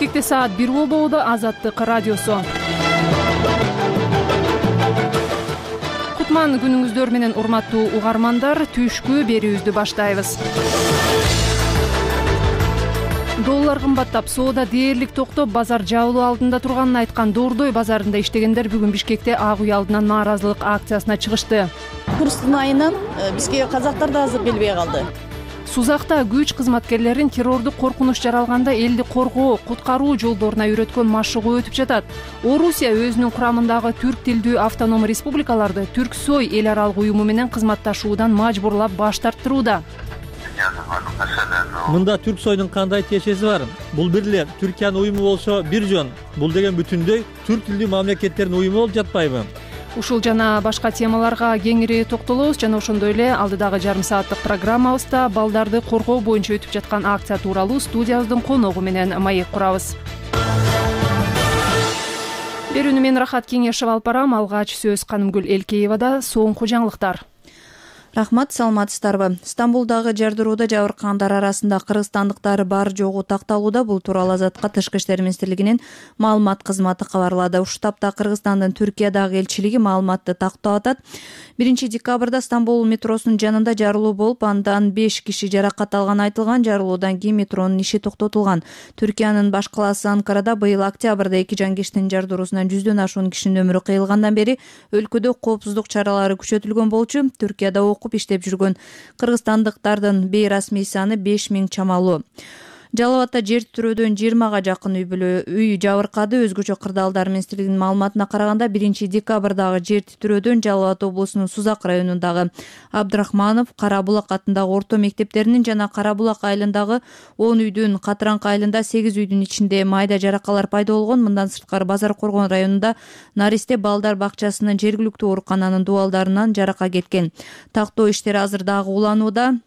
Бишкекте саат 1 болбоодо. Азаттык радиосу. Кутман күнүңүздөр менен урматтуу угармандар, түшкү берүүбүздү баштайбыз. Доллар кымбаттап, соода дээрлик токтоп, базар жабылуу алдында турганын айткан Дордой базарында иштегендер бүгүн Бишкекте Ак үй алдынан нааразылык акциясына чыгышты. Курстун айынан бизге казактар да азыр келбей калды. Сузакта күч кызматкерлерин террордук коркунуч жаралганда элди коргоо, куткаруу жолдоруна үйрөткөн машыгуу өтүп жатат. Орусия өзүнүн курамындагы түрк тилдүү автономий республикаларды Түрксой эл аралык уюму менен кызматташуудан мажбурлап баш тарттырууда. Мында Түрксойдун кандай тиешеси бар? Бул бир эле Түркиянын уюму болсо бир жөн. Бул деген бүтүндөй түрк тилдүү мамлекеттердин уюму болуп жатпайбы? Ушул жана башка темаларга кеңири токтолобуз жана ошондой эле алдыдагы жарым сааттык программабызда балдарды коргоо боюнча өтүп жаткан акция тууралуу студиябыздын коногу менен маек курабыз. Берүүнү мен Рахат Кеңешев алып барам. Алгач сөз Канымгүл Элкеевада. Соңку жаңылыктар. Рахмат, саламатсыздарбы? Стамбулдагы жардырууда жабыркагандар арасында кыргызстандыктар бар жогу такталууда. Бул тууралуу Азаттыкка Тышкы иштер министрлигинин маалымат кызматы кабарлады. Ушул тапта Кыргызстандын Түркиядагы элчилиги маалыматты тактап атат. 1 декабрда Стамбул метросунун жанында жарылуу болуп, андан 5 киши жаракат алганы айтылган. Жарылуудан кийин метронун иши токтотулган. Түркиянын баш калаасы Анкарада быйыл октябрда 2 жанкештин жардыруусунан 100дөн ашуун кишинин өмүрү кыйылгандан бери өлкөдө коопсуздук чаралары күчөтүлгөн болчу. Түркияда окуп иштеп жүргөн кыргызстандыктардын бейрасмий саны 5000 чамалуу. Жалал Абадта жер титирөөдөн 20га жакын үй жабыркады. Өзгөчө кырдаалдар министрлигинин маалыматына караганда 1 декабрдагы жер титирөөдөн Жалал Абад облусунун Сузак районундагы Абдрахманов, Карабулак атындагы орто мектептеринин жана Карабулак айылындагы 10 үйдүн, Катыраңкы айылында 8 үйдүн ичинде майда жаракалар пайда болгон. Мындан сырткары Базар Коргон районунда Наристе балдар бакчасынын жергиликтүү оорукананын дубалдарынан жарака кеткен. Тактоо иштери азыр дагы уланууда.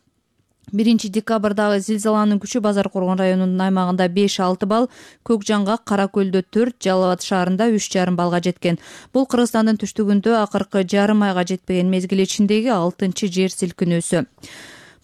1 декабрдагы зилзаланын күчү Базар Коргон районунун аймагында 5-6 балл, Көкжаңгак, Каракөлдө 4, Жалал Абад шаарында 3,5 баллга жеткен. Бул Кыргызстандын түштүгүндө акыркы жарым айга жетпеген мезгил ичиндеги 6-чы жер силкинүүсү.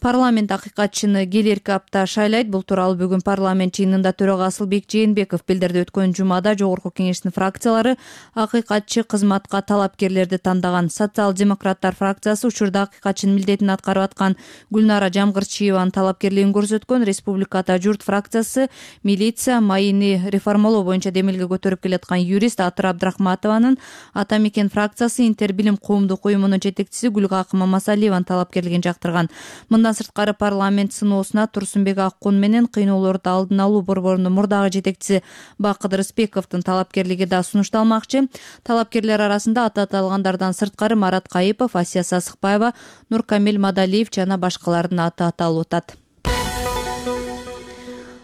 Парламент акыйкатчыны келерки апта шайлайт. Бул тууралуу бүгүн парламент жыйынында төрага Асылбек Жээнбеков билдирди. Өткөн жумада жогорку кеңештин фракциялары акыйкатчы кызматка талапкерлерди тандаган. Социал-демократтар фракциясы учурда акыйкатчынын милдетин аткарып аткан Гүлнара Жамгырчиеванын талапкерлигин көрсөткөн. Республикада журт фракциясы милиция майыны реформалоо боюнча демилге көтөрүп келаткан юрист Атыр Абдрахматованын, Ата Мекен фракциясы Интербилим коомдук уюмунун жетекчиси Гүлгакы Мамасалиеванын талапкерлигин жактырган. Мындан сырткары парламент сыноосуна Турсунбек Аккун менен кыйноолорду алдын алуу борборунун мурдагы жетекчиси Бакыт Рыспековдун талапкерлиги да сунушталмакчы. Талапкерлер арасында аты аталгандардан сырткары Марат Кайыпов, Асия Сасыкбаева, Нуркамил Мадалиев жана башкалардын аты аталып атат.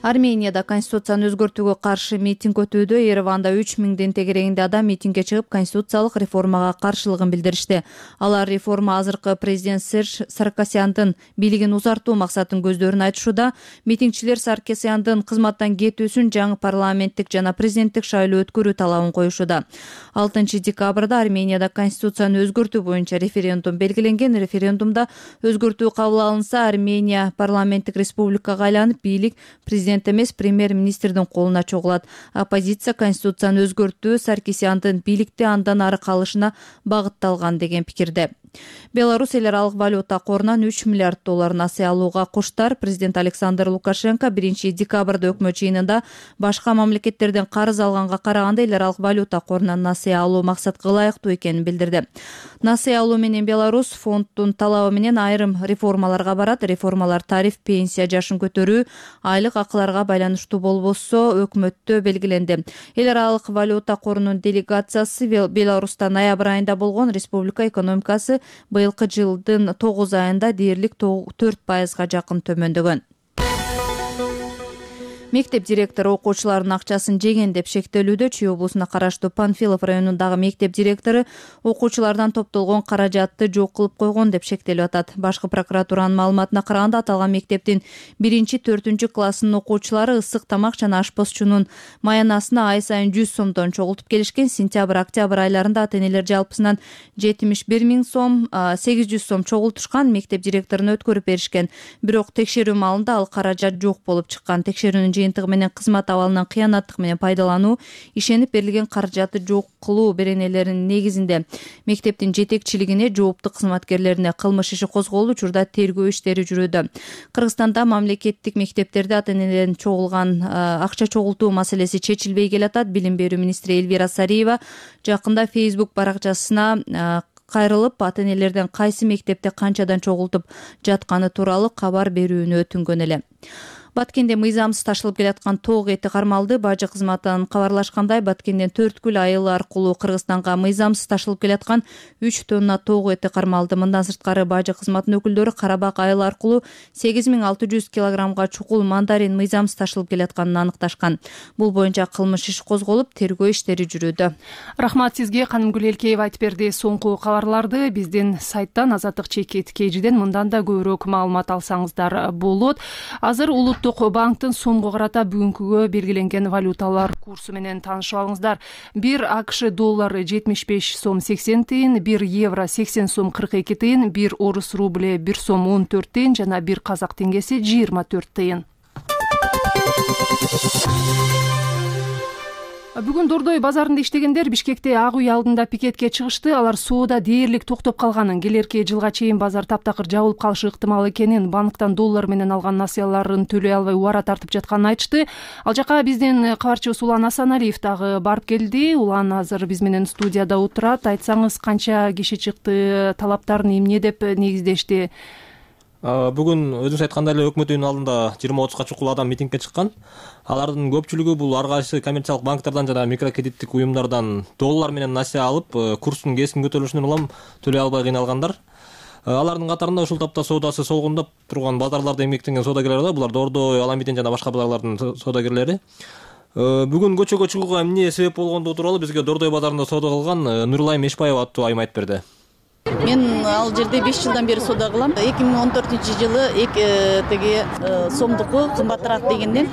Арменияда конституцияны өзгөртүүгө каршы митинг өтүүдө. Ереванда 3000ден тегерегинде адам митингге чыгып, конституциялык реформага каршылыгын билдиришти. Алар реформа азыркы президент Серж Саркисяндын бийлигин узартуу максатын көздөрүн айтышууда. Митингчилер Саркисяндын кызматтан кетүүсүн, жаңы парламенттик жана президенттик шайлоо өткөрүү талабын коюшууда. 6 декабрда Арменияда конституцияны өзгөртүү боюнча референдум белгиленген. Референдумда өзгөртүү кабыл алынса, Армения парламенттик республикага айланып, бийлик президент эмес премьер-министрдин колуна чогулат. Оппозиция конституцияны өзгөртүү Саркисяндын бийликте андан ары калышына багытталган деген пикирде. Беларусь эл аралык валюта корунан 3 миллиард доллар насыя алууга куштар. Президент Александр Лукашенко 1 декабрда өкмөт жыйынында башка мамлекеттерден карыз алганга караганда эл аралык валюта корунан насыя алуу максатка ылайыктуу экенин билдирди. Насыя алуу менен Беларусь фонддун талабы менен айрым реформаларга барат. Реформалар тариф, пенсия жашын көтөрүү, айлык акыларга байланыштуу болбосо өкмөттө белгиленди. Эл аралык валюта корунун делегациясы Беларуста ноябрь айында болгон. Республика экономикасы быйылкы жылдын 9 айында дээрлик 4%га жакын төмөндөгөн. Мектеп директору окуучулардын акчасын жеген деп шектелүүдө. Чүй облусуна караштуу Панфилов районундагы мектеп директору окуучулардан топтолгон каражатты жок кылып койгон деп шектелип атат. Башкы прокуратуранын маалыматына караганда аталган мектептин 1-4 классынын окуучулары ысык тамак жана ашпозчунун маянасына ай сайын 100 сомдон чогултуп келишкен. Сентябрь-октябрь айларында ата-энелер жалпысынан 71 000 сом, 800 сом чогултушкан. Мектеп директоруна өткөрүп беришкен. Бирок текшерүү маалында ал каражат жок болуп чыккан. Текшерүүнүн жыйынтыгы менен кызмат абалынан кыянаттык менен пайдалануу, ишенип берилген каражаты жок кылуу беренелеринин негизинде мектептин жетекчилигине, жоопту кызматкерлерине кылмыш иши козголуп, учурда тергөө иштери жүрүүдө. Кыргызстанда мамлекеттик мектептерде ата-энелерден чогулган акча чогултуу маселеси чечилбей келатат. Билим берүү министри Элвира Сариева жакында Facebook баракчасына кайрылып, ата-энелерден кайсы мектепте канчадан чогултуп жатканы тууралуу кабар берүүнү өтүнгөн эле. Баткенде мыйзамсыз ташылып келаткан тоок эти кармалды. Бажы кызматынан кабарлашкандай, Баткенден Төрткүл айылы аркылуу Кыргызстанга мыйзамсыз ташылып келаткан 3 тонна тоок эти кармалды. Мындан сырткары Бажы кызматынын өкүлдөрү Карабак айылы аркылуу 8600 килограммга чукул мандарин мыйзамсыз ташылып келатканын аныкташкан. Бул боюнча кылмыш иш козголуп, тергөө иштери жүрүүдө. Рахмат сизге, Канымгүл Элкеева айтып берди. Соңку кабарларды биздин сайттан Азаттык /KG'ден мындан да көбүрөөк маалымат алсаңыздар болот. Азыр Улуттук банктын сомго карата бүгүнкүгө белгиленген валюталар курсу менен таанышып алыңыздар. 1 АКШ доллары 75 сом 80 тыйын, 1 евро 80 сом 42 тыйын, 1 орус рубле 1 сом 14 тыйын жана 1 казак теңгеси 24 тыйын. Бүгүн Дордой базарында иштегендер Бишкекте Ак үй алдында пикетке чыгышты. Алар соода дээрлик токтоп калганын, келерки жылга чейин базар таптакыр жабылып калышы ыктымал экенин, банктан доллар менен алган насыяларын төлөй албай убара тартып жатканын айтышты. Ал жака биздин кабарчыбыз Улан Асаналиев дагы барып келди. Улан азыр биз менен студияда отурат. Айтсаңыз, канча киши чыкты, талаптарын эмне деп негиздешти? Бүгүн өзүңүз айткандай эле өкмөт үйүнүн алдында 20-30га чукул адам митингге чыккан. Алардын көпчүлүгү бул ар кайсы коммерциялык банктардан жана микрокредиттик уюмдардан доллар менен насыя алып, курстун кескин көтөрүлүшүнөн улам төлөй албай кыйналгандар. Алардын катарында ушул тапта соодасы солгундап турган базарларда эмгектенген соодагерлер бар. Булар Дордой, Аламиден жана башка базарлардын соодагерлери. Бүгүн көчөгө чыгууга эмне себеп болгондугу тууралуу бизге Дордой базарында соода кылган Нурлайым Эшбаева аттуу айым айтып берди. Мен ал жерде 5 жылдан бери соода кылам. 2014-жылы теги сомдуку кымбатыраак дегенден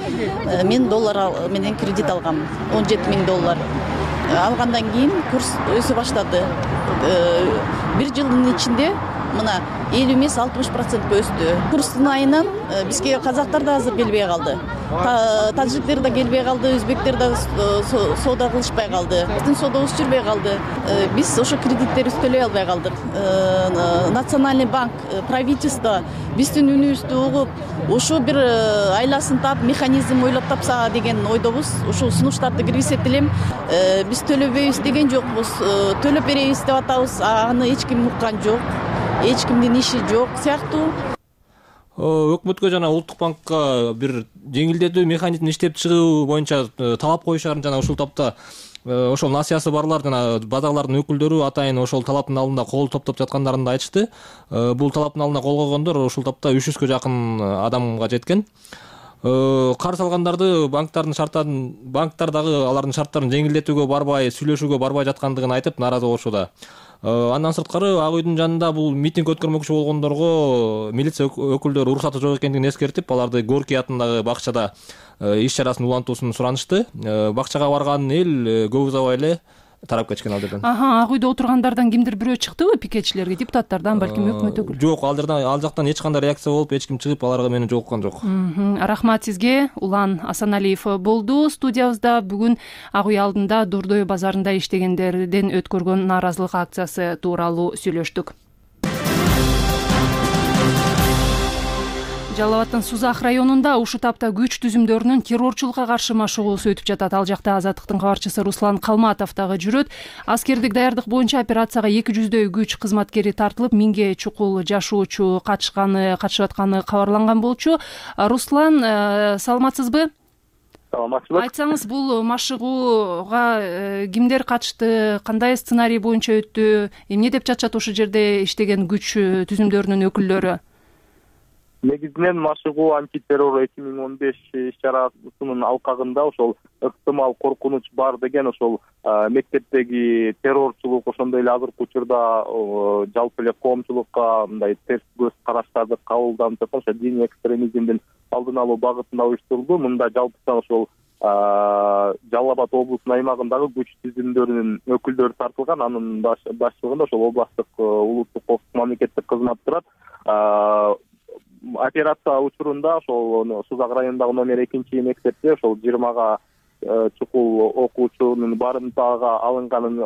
мен доллар менен кредит алгам. 17 000 доллар. Алгандан кийин курс өсө баштады. 1 жылдын ичинде мына 50 эмес 60% өстү. Курстун айынан бизге казактар да азыр келбей калды. Таджиктер да келбей калды, өзбектер да соода кылышпай калды. Биздин соодабыз жүрбөй калды. Биз ошо кредиттерибизди төлөй албай калдык. Национальный банк, правительство биздин үнүбүздү угуп, ошо бир айласын таап, механизм ойлоп тапса деген ойдобуз. Ошол сунуштарды киргизсек элем, биз төлөбөйбүз деген жокпуз. Төлөп беребиз деп атабыз, аны эч ким уккан жок. Эч кимдин иши жок сыяктуу. Өкмөткө жана Улуттук банкка бир жеңилдетүү механизмин иштеп чыгуу боюнча талап коюшарын жана ушул тапта ошол насыясы барлар жана базарлардын өкүлдөрү атайын ошол талаптын алдында кол топтоп жаткандарын да айтышты. Бул талаптын алдында кол койгондор ушул тапта 300гө жакын адамга жеткен. Карыз алгандарды банктар дагы алардын шарттарын жеңилдетүүгө барбай, сүйлөшүүгө барбай жаткандыгын айтып нааразы болушууда. Андан сырткары Ак үйдүн жанында бул митинг өткөрмөкчү болгондорго милиция өкүлдөрү уруксаты жок экендигин эскертип, аларды Горький атындагы бакчада иш чарасын улантуусун суранышты. Бакчага барган эл көп узабай эле тарап кеткен ал жерден. Ак үйдө отургандардан кимдир бирөө чыктыбы пикетчилерге, депутаттардан, балким өкмөт өкүлү? Жок, ал жактан эч кандай реакция болуп, эч ким чыгып аларга мени жолуккан жок. Рахмат сизге. Улан Асаналиев болду студиябызда. Бүгүн Ак үй алдында Дордой базарында иштегендерден өткөргөн нааразылык акциясы тууралуу сүйлөштүк. Жалал Абадтын Сузак районунда ушул тапта күч түзүмдөрүнүн террорчулукка каршы машыгуусу өтүп жатат. Ал жакта Азаттыктын кабарчысы Руслан Калматов дагы жүрөт. Аскердик даярдык боюнча операцияга 200дөй күч кызматкери тартылып, 1000ге чукул жашоочу катышып атканы кабарланган болчу. Руслан, саламатсызбы? Саламатсызбы. Айтсаңыз, бул машыгууга кимдер катышты, кандай сценарий боюнча өттү, эмне деп жатышат ошол жерде иштеген күч түзүмдөрүнүн өкүлдөрү? Негизинен машыгуу антитеррор 2015 иш чарасынын алкагында ошол ыктымал коркунуч бар деген ошол мектептеги террорчулук, ошондой эле азыркы учурда жалпы эле коомчулукка мындай терс көз караштарды кабылданып жаткан ошо диний экстремизмдин алдын алуу багытында уюштурулду. Мында жалпысынан ошол Жалал Абад облусунун аймагындагы күч түзүмдөрүнүн өкүлдөрү тартылган. Анын башчылыгында ошол областтык улуттук коопсуздук мамлекеттик кызмат турат. операция учурунда ошол Сузак районундагы номер 2 мектепте ошол 20 чукул окуучунун барымтага алынганын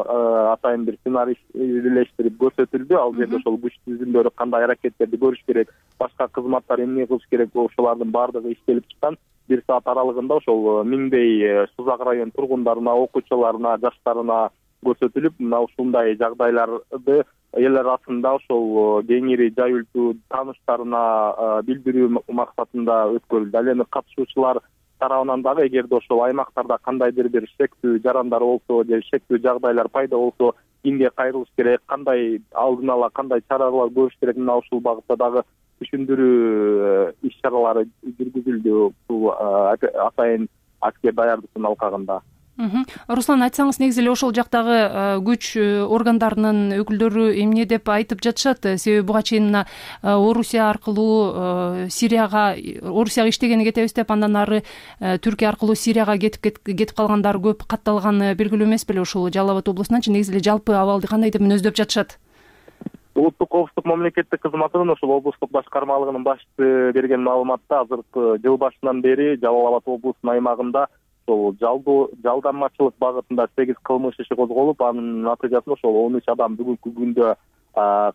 атайын бир сценарий бирлештирип көрсөтүлдү. Ал жерде ошол күч түзүмдөрү кандай аракеттерди көрүш керек, башка кызматтар эмне кылыш керек, ошолардын баардыгы иштелип чыккан. 1 саат аралыгында ошол миңдей Сузак район тургундарына, окуучуларына, жаштарына көрсөтүлүп, мына ушундай жагдайларды эл арасында ошол кеңири жайылтуу, тааныштарына билдирүү максатында өткөрүлдү. Ал эми катышуучулар тарабынан дагы эгерде ошол аймактарда кандайдыр бир шектүү жарандар болсо же шектүү жагдайлар пайда болсо кимге кайрылыш керек, кандай алдын ала кандай чаралар көрүш керек, мына ушул багытта дагы түшүндүрүү иш-чаралары жүргүзүлдү бул атайын аскер даярдыктын алкагында. Руслан, айтсаңыз, негизи эле ошол жактагы күч органдарынын өкүлдөрү эмне деп айтып жатышат? Себеби буга чейин мына Орусия аркылуу Сирияга иштегени кетебиз деп, андан ары Түркия аркылуу Сирияга кетип калгандар көп катталганы белгилүү эмес беле ушул Жалал Абад облусунанчы? Негизи эле жалпы абалды кандай деп мүнөздөп жатышат? Улуттук коопсуздук мамлекеттик кызматынын ошол облустук башкармалыгынын башчысы берген маалыматта азыркы жыл башынан бери Жалал Абад облусунун аймагында жалданмачылык багытында 8 кылмыш иши козголуп, анын натыйжасында ошол 13 адам бүгүнкү күндө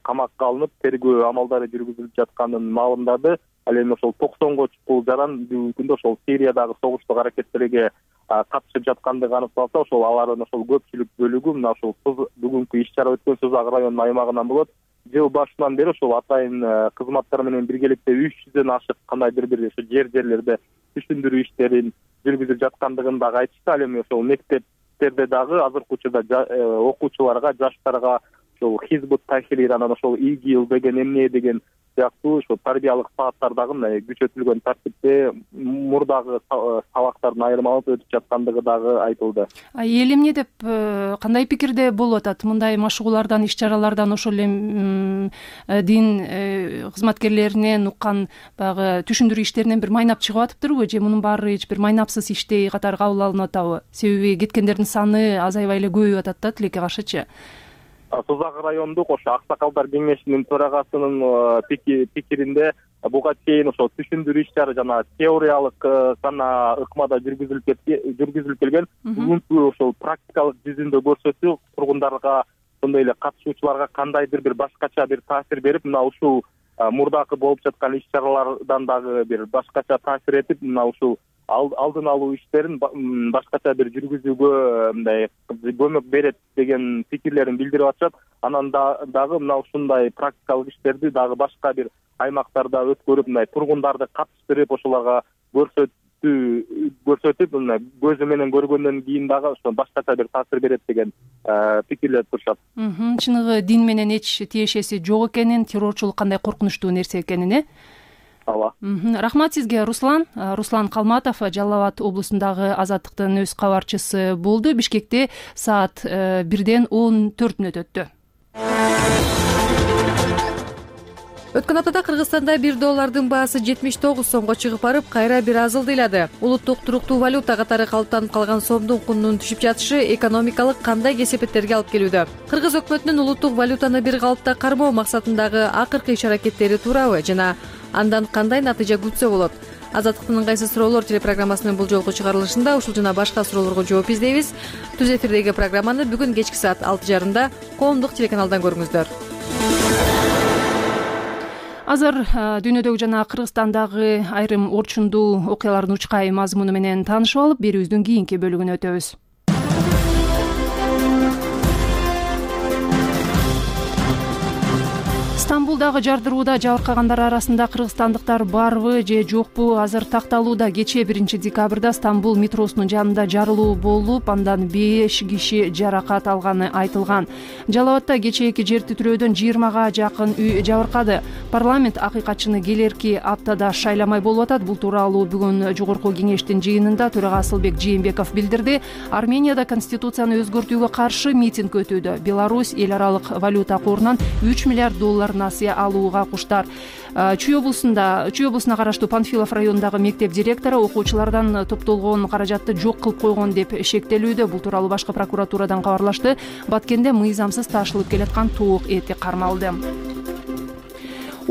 камакка алынып, тергөө амалдары жүргүзүлүп жатканын маалымдады. Ал эми ошол 90 чукул жаран бүгүнкү күндө ошол Сириядагы согуштук аракеттерге катышып жаткандыгы аныкталса, ошол алардын ошол көпчүлүк бөлүгү мына ошол бүгүнкү иш-чара өткөн Сузак районунун аймагынан болот. Жыл башынан бери ошол атайын кызматтар менен биргеликте 300дөн ашык кандайдыр бир ошо жерлерде түшүндүрүү иштерин жүргүзүп жаткандыгын дагы айтышты. Ал эми ошол мектептерде дагы азыркы учурда окуучуларга, жаштарга ошол Хизбут Тахрир, анан ошол ИГИЛ деген эмне деген сыяктуу ошол тарбиялык сааттар дагы мына күчөтүлгөн тартипте мурдагы сабактардын айырмаланып өтүп жаткандыгы дагы айтылды. Эл эмне деп, кандай пикирде болуп атат? Мындай машыгуулардан, иш-чаралардан ошол эле дин кызматкерлеринен уккан баягы түшүндүрүү иштеринен бир майнап чыгып атыптырбы, же мунун баары эч бир майнапсыз иштей катары кабыл алынып атабы? Себеби кеткендердин саны азайбай эле көбөйүп атат да тилекке каршычы. Сузак райондук ошо Аксакалдар кеңешинин төрагасынын пикиринде буга чейин ошол түшүндүрүү иш-чара жана теориялык гана ыкмада жүргүзүлүп келген. Бүгүнкү ошол практикалык жүзүндө көрсөтүү тургундарга, ошондой эле катышуучуларга кандайдыр бир башкача бир таасир берип, мына ушул мурдакы болуп жаткан иш-чаралардан дагы бир башкача таасир этип, мына ушул алдын алуу иштерин башкача бир жүргүзүүгө мындай көмөк берет деген пикирлерин билдирип атышат. Анан дагы мына ушундай практикалык иштерди дагы башка бир аймактарда өткөрүп, мындай тургундарды катыштырып, ошолорго көрсөтүп, мына көзү менен көргөндөн кийин дагы ошо башкача бир таасир берет деген пикирлер турушат. Чыныгы дин менен эч тиешеси жок экенин, террорчулук кандай коркунучтуу нерсе экенин, Ооба. Рахмат сизге, Руслан. Руслан Калматов Жалал Абад облусундагы Азаттыктын өз кабарчысы болду. Бишкекте саат 1:14 өттү. Өткөн аптада Кыргызстанда $1 баасы 79 сомго чыгып барып, кайра бир аз ылдыйлады. Улуттук туруктуу валюта катары калыптанып калган сомдун кунунун түшүп жатышы экономикалык кандай кесепеттерге алып келүүдө? Кыргыз өкмөтүнүн улуттук валютаны бир калыпта кармоо максатындагы акыркы иш-аракеттери туурабы жана андан кандай натыйжа күтсө болот? Азаттыктын ыңгайсыз суроолор телепрограммасынын бул жолку чыгарылышында ушул жана башка суроолорго жооп издейбиз. Түз эфирдеги программаны бүгүн кечки саат 6:30 коомдук телеканалдан көрүңүздөр. Азыр дүйнөдөгү жана Кыргызстандагы айрым орчундуу окуялардын учкай мазмуну менен таанышып алып, берүүбүздүн кийинки бөлүгүнө өтөбүз. Стамбулдагы жардырууда жабыркагандар арасында кыргызстандыктар барбы же жокпу азыр такталууда. Кечээ 1 декабрда Стамбул метросунун жанында жарылуу болуп, андан 5 киши жаракат алганы айтылган. Жалал Абадда кечээки жер титирөөдөн 20га жакын үй жабыркады. Парламент акыйкатчыны келерки аптада шайламай болуп атат. Бул тууралуу бүгүн жогорку кеңештин жыйынында төрага Асылбек Жээнбеков билдирди. Арменияда конституцияны өзгөртүүгө каршы митинг өтүүдө. Беларусь эл аралык валюта корунан $3 миллиард насыя алууга куштар. Чүй облусуна караштуу Панфилов районундагы мектеп директору окуучулардан топтолгон каражатты жок кылып койгон деп шектелүүдө. Бул тууралуу башкы прокуратурадан кабарлашты. Баткенде мыйзамсыз ташылып келаткан тоок эти кармалды.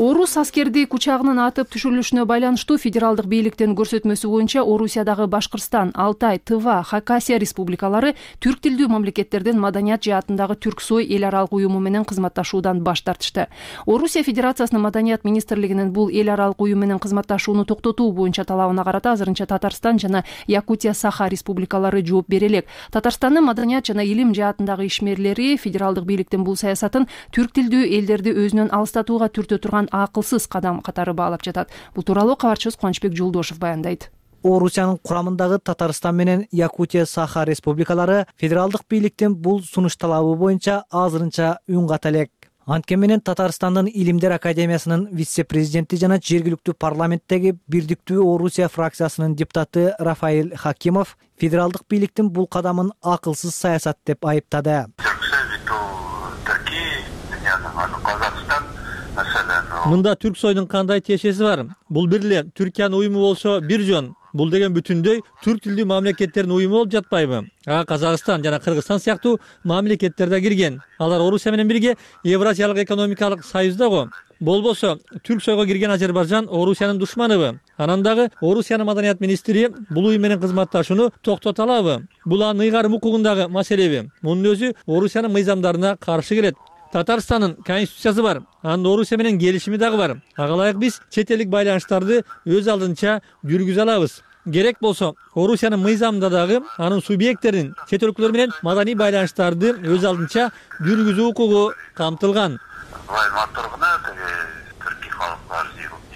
Орус аскерди учагынын атып түшүрүлүшүнө байланыштуу федералдык бийликтин көрсөтмөсү боюнча Орусиядагы Башкырстан, Алтай, Тыва, Хакасия республикалары түрк тилдүү мамлекеттердин маданият жаатындагы Түрксой эл аралык уюму менен кызматташуудан баш тартышты. Орусия Федерациясынын маданият министрлигинин бул эл аралык уюм менен кызматташууну токтотуу боюнча талабына карата азырынча Татарстан жана Якутия Саха республикалары жооп бере элек. Татарстандын маданият жана илим жаатындагы ишмерлери федералдык бийликтин бул саясатын түрк тилдүү элдерди өзүнөн алыстатууга түртө турган акылсыз кадам катары баалап жатат. Бул тууралуу кабарчыбыз Кубанычбек Жолдошов баяндайт. Орусиянын курамындагы Татарстан менен Якутия Саха республикалары федералдык бийликтин бул сунуш талабы боюнча азырынча үн ката элек. Анткени менен Татарстандын Илимдер академиясынын вице-президенти жана жергиликтүү парламенттеги Бирдиктүү Орусия фракциясынын депутаты Рафаэль Хакимов федералдык бийликтин бул кадамын акылсыз саясат деп айыптады. Мында Түрксойдун кандай тиешеси бар? Бул бир эле Түркиянын уюму болсо бир жөн. Бул деген бүтүндөй түрк тилдүү мамлекеттердин уюму болуп жатпайбы? Казакстан жана Кыргызстан сыяктуу мамлекеттер да кирген. Алар Орусия менен бирге Евразиялык экономикалык союзда го. Болбосо Түрксойго кирген Азербайжан Орусиянын душманыбы? Анан дагы Орусиянын маданият министри бул уюм менен кызматташууну токтото алабы? Бул анын ыйгарым укугундагы маселеби? Мунун өзү Орусиянын мыйзамдарына каршы келет. Татарстандын конституциясы бар. Анын Орусия менен келишими дагы бар. Ага ылайык биз чет элдик байланыштарды өз алдынча жүргүзө алабыз. Керек болсо Орусиянын мыйзамында дагы анын субъекттерин чет өлкөлөр менен маданий байланыштарды өз алдынча жүргүзүү укугу камтылган.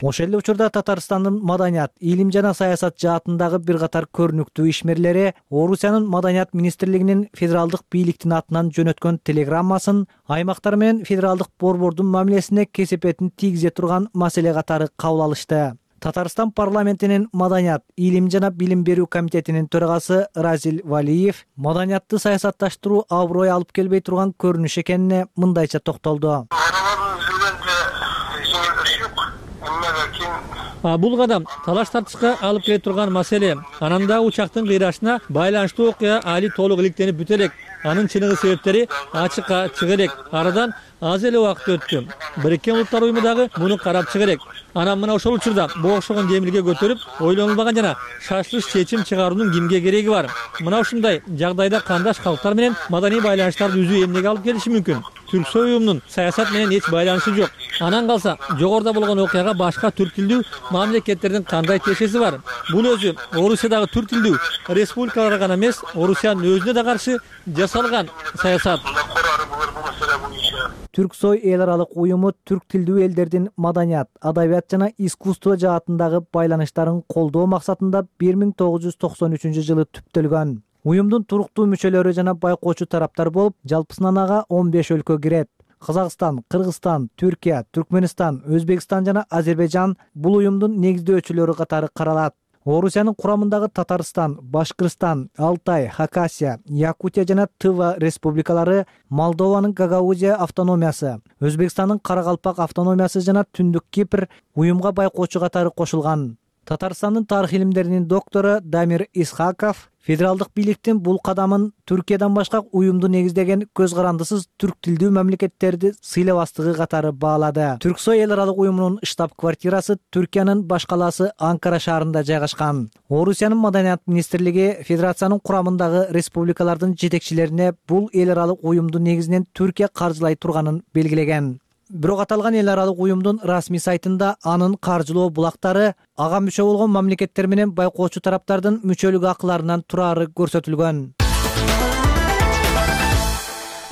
Ошол эле учурда Татарстандын маданият, илим жана саясат жаатындагы бир катар көрүнүктүү ишмерлери Орусиянын маданият министрлигинин федералдык бийликтин атынан жөнөткөн телеграммасын аймактар менен федералдык борбордун мамилесине кесепетин тийгизе турган маселе катары кабыл алышты. Татарстан парламентинин маданият, илим жана билим берүү комитетинин төрагасы Разил Валиев маданиятты саясатташтыруу аброй алып келбей турган көрүнүш экенине мындайча токтолду. Бул кадам талаш тартышка алып келе турган маселе. Анан дагы учактын кыйрашына байланыштуу окуя али толук иликтенип бүтө элек. Анын чыныгы себептери ачыкка чыга элек. Арадан аз эле убакыт өттү. Бириккен Улуттар уюму дагы муну карап чыга элек. Анан мына ошол учурда бул окшогон демилге көтөрүп, ойлонулбаган жана шашылыш чечим чыгаруунун кимге кереги бар? Мына ушундай жагдайда кандаш калктар менен маданий байланыштарды үзүү эмнеге алып келиши мүмкүн? Түрксой уюмунун саясат менен эч байланышы жок. Анан калса, жогоруда болгон окуяга башка түрк тилдүү мамлекеттердин кандай тиешеси бар? Бул өзү Орусиядагы түрк тилдүү республикаларга гана эмес, Орусиянын өзүнө да каршы жасалган саясат. Түрксой эл аралык уюму түрк тилдүү элдердин маданият, адабият жана искусство жаатындагы байланыштарын колдоо максатында 1993 жылы түптөлгөн. Уюмдун туруктуу мүчөлөрү жана байкоочу тараптар болуп, жалпысынан ага 15 өлкө кирет. Казакстан, Кыргызстан, Түркия, Түркмөнстан, Өзбекстан жана Азербайжан бул уюмдун негиздөөчүлөрү катары каралат. Орусиянын курамындагы Татарстан, Башкырстан, Алтай, Хакасия, Якутия жана Тыва республикалары, Молдованын Гагаузия автономиясы, Өзбекстандын Каракалпак автономиясы жана Түндүк Кипр уюмга байкоочу катары кошулган. Татарстандын тарых илимдеринин доктору Дамир Исхаков федералдык бийликтин бул кадамын Түркиядан башка уюмду негиздеген көз карандысыз түрк тилдүү мамлекеттерди сыйлабастыгы катары баалады. Түрксой эл аралык уюмунун штаб-квартирасы Түркиянын баш калаасы Анкара шаарында жайгашкан. Орусиянын маданият министрлиги федерациянын курамындагы республикалардын жетекчилерине бул эл аралык уюмду негизинен Түркия каржылай турганын белгилеген. Бирок аталган эл аралык уюмдун расмий сайтында анын каржылоо булактары ага мүчө болгон мамлекеттер менен байкоочу тараптардын мүчөлүк акыларынан турары көрсөтүлгөн.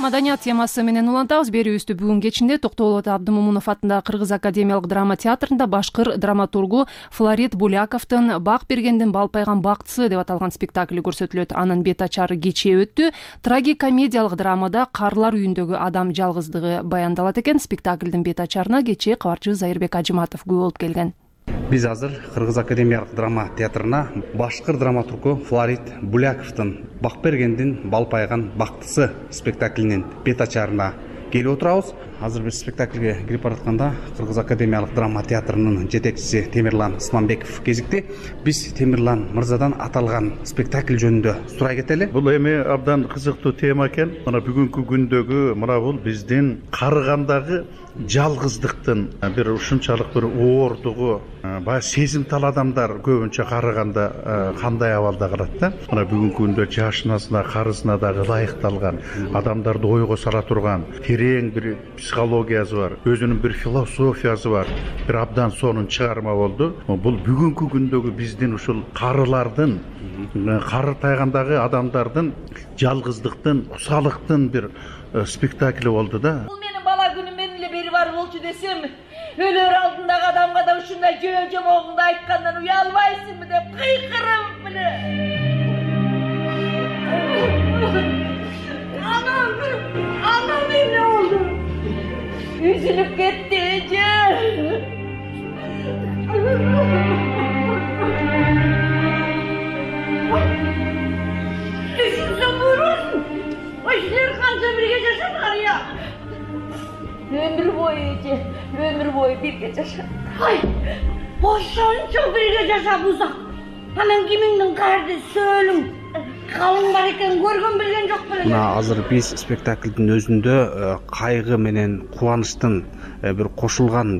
Маданият темасы менен улантабыз. Берүүбүздү бүгүн кечинде Токтоолот Абдымомунов атындагы Кыргыз академиялык драма театрында башкыр драматургу Флорид Буляковдун Бак бергендин балпайган бактысы деп аталган спектакли көрсөтүлөт. Анын бет ачары кечээ өттү. Трагикомедиялык драмада карлар үйүндөгү адам жалгыздыгы баяндалат экен. Спектаклдин бет ачарына кечээ кабарчыбыз Айырбек Ажыматов күбө болуп келген. Биз азыр Кыргыз академиялык драма театрына башкыр драматургу Флорид Буляковдун Бак бергендин балпайган бактысы спектаклинин бет ачарына келип отурабыз. азыр биз спектакльге кирип баратканда Кыргыз академиялык драма театрынын жетекчиси Темирлан Исманбеков кезикти. Биз Темирлан мырзадан аталган спектакль жөнүндө сурай кетели. Бул эми абдан кызыктуу тема экен. Мына бүгүнкү күндөгү мына бул биздин карыгандагы жалгыздыктын бир ушунчалык бир оордугу, баягы сезимтал адамдар көбүнчө карыганда кандай абалда калат да. Мына бүгүнкү күндө жашынасына, карысына дагы ылайыкталган, адамдарды ойго сала турган терең бир психологиясы бар, өзүнүн бир философиясы бар, бир абдан сонун чыгарма болду. Бул бүгүнкү күндөгү биздин ушул карылардын, кары тайгандагы адамдардын жалгыздыктын, кусалыктын бир спектакли болду да. Бул менин бала күнүм менен эле бери бар болчу десем, өлөр алдындагы адамга да ушундай жөө-жомогуңду айткандан уялбайсыңбы деп кыйкырып эле. Анам эмне болду? Üzülüp кетти эже. Düşünsün buyurun. O işler kanca birge yaşadılar ya. Ömür boyu eje, ömür boyu birge yaşadılar. Hay, boşança birge yaşap uzak. Hemen kiminin kardeşi ölüm. Kalın бар экен, көргөн билген жок беле. Мына азыр биз спектаклдин өзүндө кайгы менен кубанычтын бир кошулган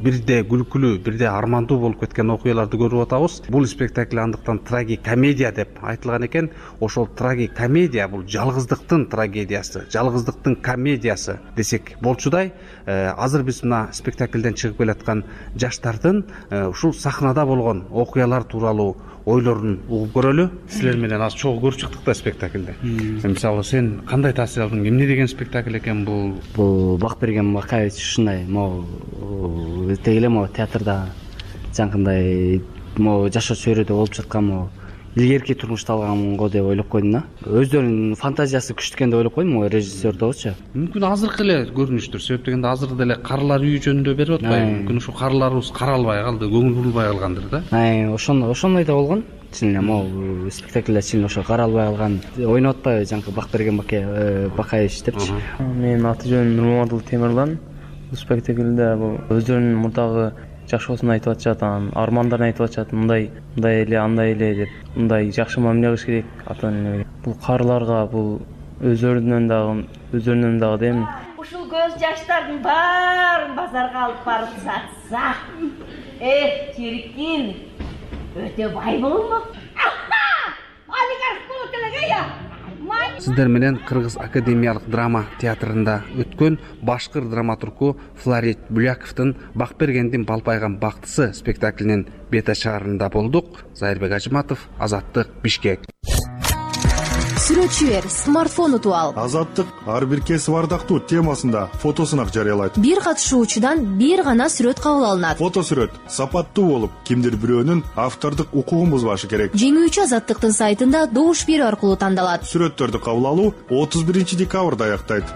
бирде күлкүлүү, бирде армандуу болуп кеткен окуяларды көрүп атабыз. Бул спектакль андыктан трагикомедия деп айтылган экен. Ошол трагикомедия бул жалгыздыктын трагедиясы, жалгыздыктын комедиясы десек болчудай. Азыр биз мына спектаклден чыгып келаткан жаштардын ушул сахнада болгон окуялар тууралуу ойлорун угуп көрөлү. Силер менен аз чогуу көрүп чыктык да спектакльде. Мисалы сен кандай таасир алдың? Эмне деген спектакль экен бул? Бул Бакберген Бакаевич ушундай тегеле театрда жанагындай жашоо чөйрөдө болуп жаткан илгерки турмушта алганго деп ойлоп койдум да. Өздөрүнүн фантазиясы күчтүү экен деп ойлоп койдум режиссер дагычы. Мүмкүн азыркы эле көрүнүштүр. Себеп дегенде азыр деле карылар үйү жөнүндө берип атпайбы? Мүмкүн ушу карыларыбыз каралбай калды, көңүл бурулбай калгандыр да. Ошондой да болгон. Чын эле спектакльде чын ошо каралбай калган ойноп атпайбы жанагы Бакберген Бакаевич депчи. Менин аты жөнүм Нурмаматул Темирлан. Бул спектакльде өздөрүнүн мурдагы жашоосун айтып атышат, анан армандарын айтып атышат. Мындай эле, андай эле деп, мындай жакшы мамиле кылыш керек ата-эне. Бул карыларга бул өздөрүнүн дагы дейм. Ушул көз жаштардын баарын базарга алып барып сатса, чирикин өтө бай болмок. Олигарх болот эле я. Сиздер менен Кыргыз академиялык драма театрында өткөн башкыр драматургу Фларит Буляковдун Бакбергендин балпайган бактысы спектаклинин бет ачаарында болдук. Зайырбек Ажыматов, Азаттык, Бишкек. Сүрөтчү бер, смартфон утуп ал. Азаттык ар бир кесип ардактуу темасында фотосунак жарыялайт. Бир катышуучудан бир гана сүрөт кабыл алынат. Фото сүрөт сапаттуу болуп, кимдир бирөөнүн автордук укугун бузбашы керек. Жеңүүчү Азаттыктын сайтында добуш берүү аркылуу тандалат. Сүрөттөрдү кабыл алуу 31 декабрда аяктайт.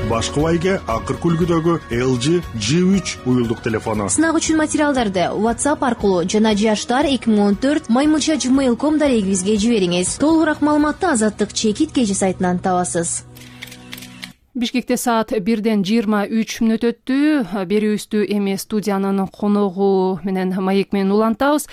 Башкыбайге акыркы үлгүдөгү LG G3 уюлдук телефону. Сынак үчүн материалдарды WhatsApp аркылуу жана jashtar2014@gmail.com дарегибизге жибериңиз. Толугураак маалыматты Азаттык чекит кежи сайтынан табасыз. Бишкекте саат 1:23 өттү. Берүүбүздү эми студиянын коногу менен маек менен улантабыз.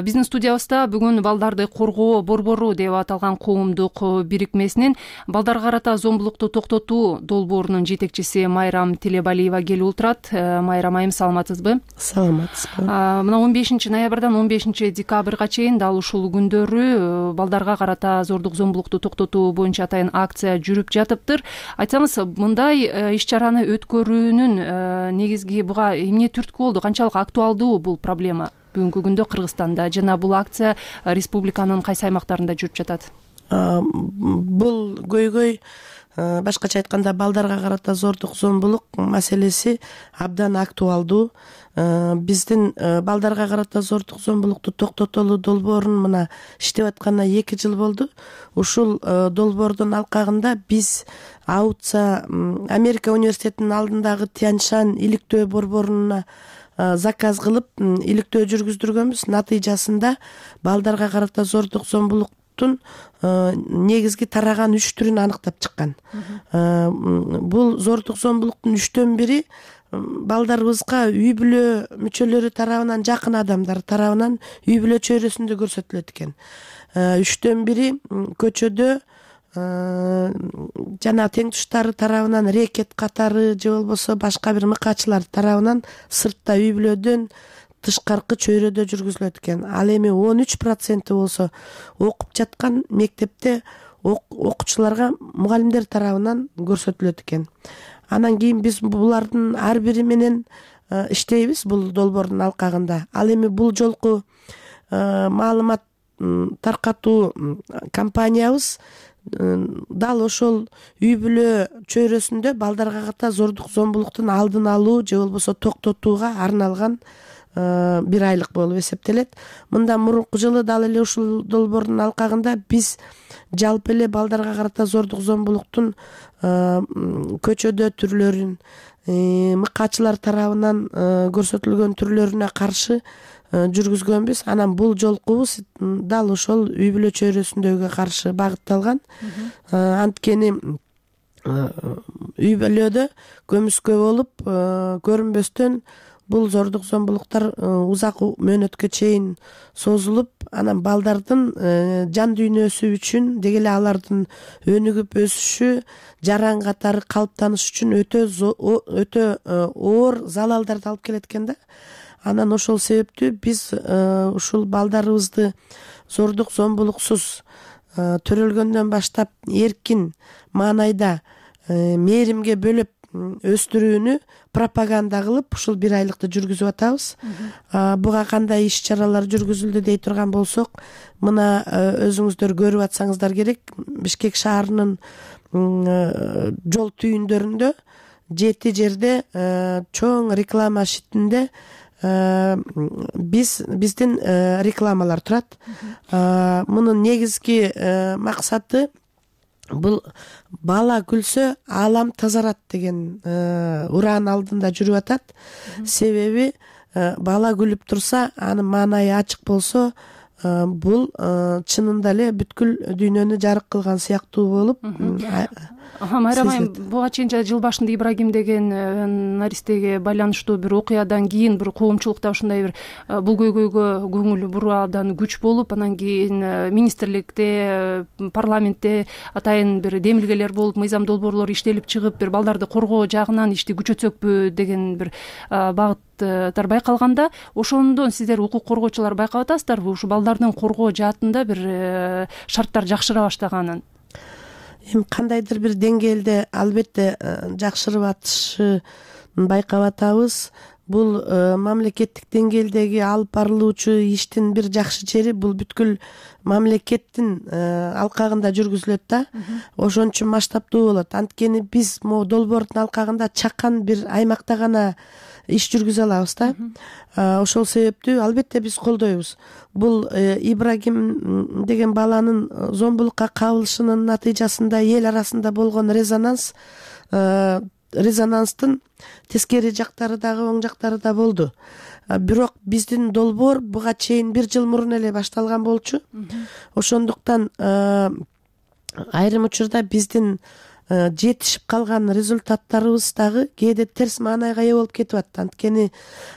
Биздин студиябызда бүгүн балдарды коргоо борбору деп аталган коомдук бирикмесинин балдарга карата зомбулукту токтотуу долбоорунун жетекчиси Майрам Телебалиева келип отурат. Майрам айым, саламатсызбы? Саламатсызбы. Мына 15 ноябрдан 15 декабрга чейин дал ушул күндөрү балдарга карата зордук зомбулукту токтотуу боюнча атайын акция жүрүп жатыптыр. Айтсаңыз, мындай иш-чараны өткөрүүнүн негизги буга эмне түрткү болду? Канчалык актуалдуу бул проблема бүгүнкү күндө Кыргызстанда жана бул акция республиканын кайсы аймактарында жүрүп жатат? Бул көйгөй, башкача айтканда, балдарга карата зордук зомбулук маселеси абдан актуалдуу. Биздин балдарга карата зордук зомбулукту токтотолуу долбоорун мына иштеп атканына 2 жыл болду. Ушул долбоордун алкагында биз Аутса Америка университетинин алдындагы Тяньшань иликтөө борборуна заказ кылып иликтөө жүргүздүргөнбүз. Натыйжасында балдарга карата зордук зомбулук зомбулуктун негизги тараган 3 түрүн аныктап чыккан. Бул зордук зомбулуктун 3төн 1 балдарыбызга үй бүлө мүчөлөрү тарабынан, жакын адамдар тарабынан үй бүлө чөйрөсүндө көрсөтүлөт экен. 3төн 1 көчөдө жана тең туштары тарабынан рекет катары же болбосо башка бир мыкаачылар тарабынан сыртта үй бүлөдөн тышкаркы чөйрөдө жүргүзүлөт экен. Ал эми 13% болсо окуп жаткан мектепте окуучуларга мугалимдер тарабынан көрсөтүлөт экен. Анан кийин биз булардын ар бири менен иштейбиз бул долбоордун алкагында. Ал эми бул жолку маалымат таркатуу кампаниябыз дал ошол үй бүлө чөйрөсүндө балдарга ката зордук зомбулуктун алдын алуу же болбосо токтотууга арналган бир айлык болуп эсептелет. Мындан мурунку жылы дал эле ушул долбоордун алкагында биз жалпы эле балдарга карата зордук зомбулуктун көчөдө түрлөрүн, мыкаачылар тарабынан көрсөтүлгөн түрлөрүнө каршы жүргүзгөнбүз. Анан бул жолкубуз дал ошол үй бүлө чөйрөсүндөгүгө каршы багытталган. Анткени үй бүлөдө көмүскө болуп көрүнбөстөн бул зордук зомбулуктар узак мөөнөткө чейин созулуп, анан балдардын жан дүйнөсү үчүн деги эле алардын өнүгүп өсүшү, жаран катары калыптаныш үчүн өтө оор залалдарды алып келет экен да. Анан ошол себептүү биз ушул балдарыбызды зордук зомбулуксуз төрөлгөндөн баштап эркин маанайда мээримге бөлөп өстүрүүнү пропаганда кылып ушул бир айлыкты жүргүзүп атабыз. Буга кандай иш чаралар жүргүзүлдү дей турган болсок, мына өзүңүздөр көрүп атсаңыздар керек, Бишкек шаарынын жол түйүндөрүндө 7 жерде чоң реклама шитинде биздин рекламалар турат. Мунун негизги максаты бул бала күлсө аалам тазарат деген уран алдында жүрүп атат. Себеби бала күлүп турса, анын маанайы ачык болсо, бул чынында эле бүткүл дүйнөнү жарык кылган сыяктуу болуп. Майрам айым, буга чейин жыл башында Ибрагим деген наристеге байланыштуу бир окуядан кийин бир коомчулукта ушундай бир бул көйгөйгө көңүл буруудан күч болуп, анан кийин министрликте, парламентте атайын бир демилгелер болуп, мыйзам долбоорлор иштелип чыгып, бир балдарды коргоо жагынан ишти күчөтсөкпү деген бир багыттар байкалганда, ошондон сиздер укук коргоочулар байкап атасыздарбы ушу балдардын коргоо жаатында бир шарттар жакшыра баштаганын? Эми кандайдыр бир деңгээлде албетте жакшырып атышын байкап атабыз. Бул мамлекеттик деңгээлдеги алып барылуучу иштин бир жакшы жери бул бүткүл мамлекеттин алкагында жүргүзүлөт да. Ошон үчүн масштабтуу болот. Анткени биз могу долбоордун алкагында чакан бир аймакта гана иш жүргүзө алабыз да. Ошол себептүү албетте биз колдойбуз. Бул Ибрагим деген баланын зомбулукка кабылышынын натыйжасында эл арасында болгон резонанстын тескери жактары дагы оң жактары да болду. Бирок биздин долбоор буга чейин 1 жыл мурун эле башталган болчу. Ошондуктан айрым учурда биздин жетишип калган результаттарыбыз дагы кээде терс маанайга ээ болуп кетип атат. Анткени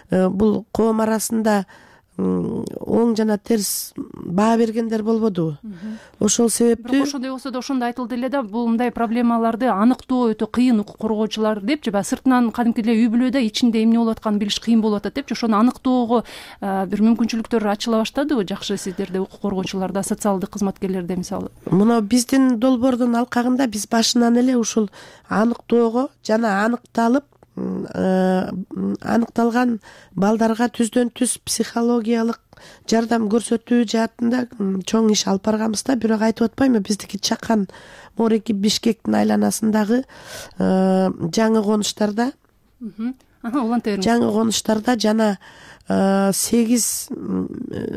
бул коом арасында оң жана терс баа бергендер болбодубу? Ошол себептүү. Бирок ошондой болсо да ошондо айтылды эле да, бул мындай проблемаларды аныктоо өтө кыйын укук коргоочулар депчи, баягы сыртынан кадимки эле үй бүлөдө ичинде эмне болуп атканын билиш кыйын болуп атат депчи, ошону аныктоого бир мүмкүнчүлүктөр ачыла баштадыбы жакшы сиздерде, укук коргоочуларда, социалдык кызматкерлерде мисалы? Мына биздин долбоордун алкагында биз башынан эле ушул аныктоого жана аныкталып аныкталган балдарга түздөн түз психологиялык жардам көрсөтүү жаатында чоң иш алып барганбыз да. Бирок айтып атпаймынбы, биздики чакан Мореки Бишкектин айланасындагы жаңы конуштарда жана 8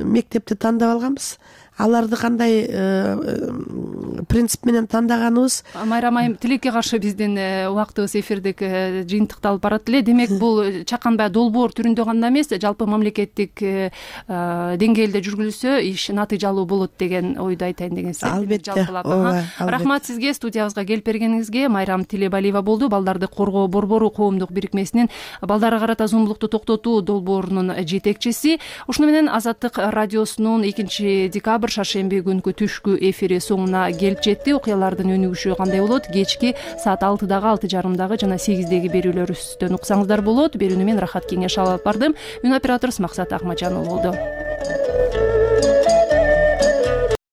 мектепти тандап алганбыз. Аларды кандай принцип менен тандаганыбыз. Майрам айым, тилекке каршы биздин убактыбыз эфирдик жыйынтыкталып барат эле. Демек бул чакан баягы долбоор түрүндө гана эмес, жалпы мамлекеттик деңгээлде жүргүлсө иш натыйжалуу болот деген ойду айтайын деген сиздер. Албетте. Рахмат сизге, студиябызга келип бергениңизге. Майрам Тилебалиева болду, Балдарды коргоо борбору коомдук бирикмесинин балдарга карата зомбулукту токтотуу долбоорунун жетекчиси. Ушуну менен Азаттык радиосунун 2-декабрь шаршемби күнкү түшкү эфири соңуна келип жетти. Окуялардын өнүгүшү кандай болот? Кечки саат 6-дагы, 6:30-дагы жана 8-деги берүүлөрүбүздөн уксаңыздар болот. Берүүнү мен Рахат Кеңеш алып бардым. Үн операторубуз Максат Акмажанов болду.